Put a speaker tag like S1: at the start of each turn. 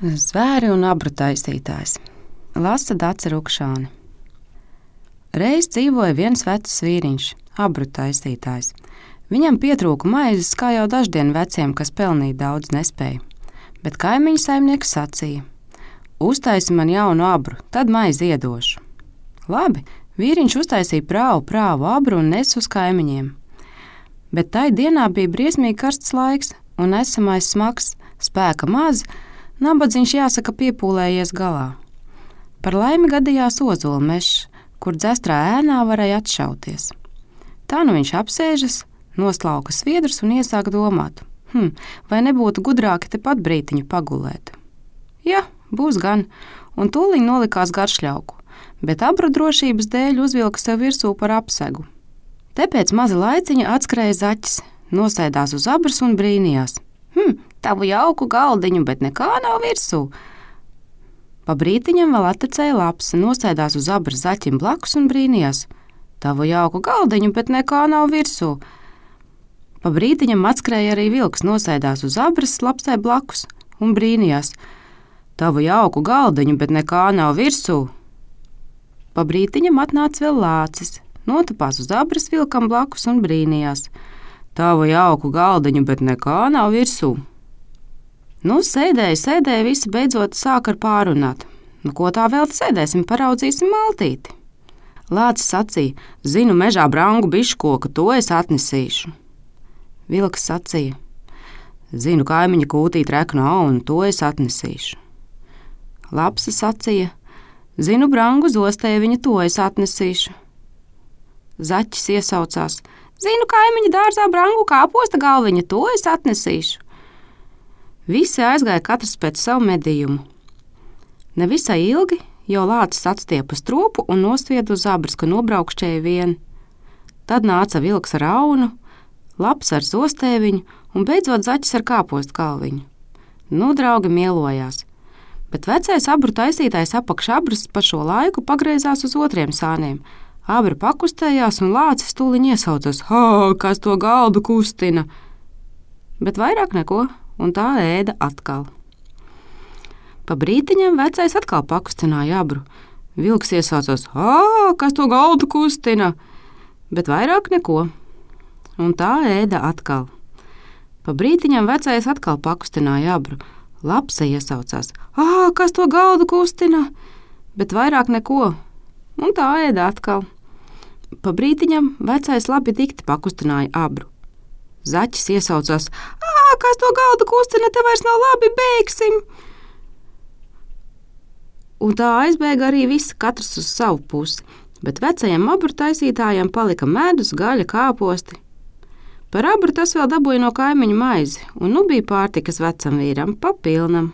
S1: Zvēri un abru taisītājs. Lasa Dace Rukšāne. Reiz dzīvoja viens vecs vīriņš, abru taisītājs. Viņam pietrūka maizes, kā jau daždien veciem, kas pelnīt daudz nespēja. Bet kaimiņu saimnieks sacīja: uztaisi man jaunu abru, tad maizi iedošu. Labi, vīriņš uztaisīja prāvu abru un nes uz kaimiņiem. Bet tai dienā bija briesmīgi karsts laiks un esamais smags, spēka maz, nabadzīgs jāsaka piepūlējies galā. Par laimi gadījās ozola mežs, kur dzestrā ēnā varēja atšauties. Tā nu viņš apsēžas, noslauka sviedrus un iesāk domāt: vai nebūtu gudrāki tepat brītiņu pagulēt? Jā, būs gan, un tūliņ nolikās garšļauku, bet abru drošības dēļ uzvilka sev virsū par apsegu. Te pēc maza laiciņa atskrēja zaķis, nosēdās uz abras un brīnījās: tavu jauku galdiņu, bet nekā nav virsū. Pa brītiņam vēl attecēja lapsa, nosēdās uz abras zaķim blakus un brīnījās: tavu jauku galdiņu, bet nekā nav virsū. Pa brītiņam atskrēja arī vilks, nosēdās uz abras lapsai blakus un brīnījās: tavu jauku galdiņu, bet nekā nav virsū. Pa brītiņam atnāca vēl lācis, notupās uz abras vilkam blakus un brīnījās: tavu jauku galdiņu, bet nekā nav virsū. Nu, sēdēja, visi beidzot sāk ar pārunāt. Ko tā vēl sēdēsim, paraudzīsim maltīti. Lācis sacīja: zinu mežā brangu biškoku, to es atnesīšu. Vilks sacīja: zinu kaimiņa kūtīt reknu aunu, to es atnesīšu. Lapsa sacīja: zinu brangu zostēviņu, to es atnesīšu. Zaķis iesaucās: zinu kaimiņa dārzā brangu kāposta galviņu, to es atnesīšu. Visi aizgāja katrs pēc savu medījumu. Nevisai ilgi jau lācis atstiepa stropu un nosvieda uz abras, ka nobraukšķēja vien. Tad nāca vilks ar aunu, laps ar zostēviņu un beidzot zaķis ar kāpostu galviņu. Nu, draugi mielojās, bet vecais abru taisītājs apakš abras pa šo laiku pagriezās uz otriem sāniem. Abri pakustējās un lācis tūliņ iesaucās: kas to galdu kustina? Bet vairāk neko, un tā ēda atkal. Pa brītiņam vecais atkal pakustināja abru. Vilks iesaucās: kas to galdu kustina? Bet vairāk neko, un tā ēda atkal. Pa brītiņam vecais atkal pakustināja abru. Lapsa iesaucās: kas to galdu kustina? Bet vairāk neko, un tā ēda atkal. Pa brītiņam vecais labi dikti pakustināja abru. Zaķis iesaucās: kas to galdu kustina, te vairs nav labi, bēgsim! Un tā aizbēga arī visi, katrs uz savu pusi, bet vecajam abru taisītājam palika medus, gaļa, kāposti. Par abru tas vēl dabūja no kaimiņu maizi, un nu bija pārtikas vecam vīram pa pilnam.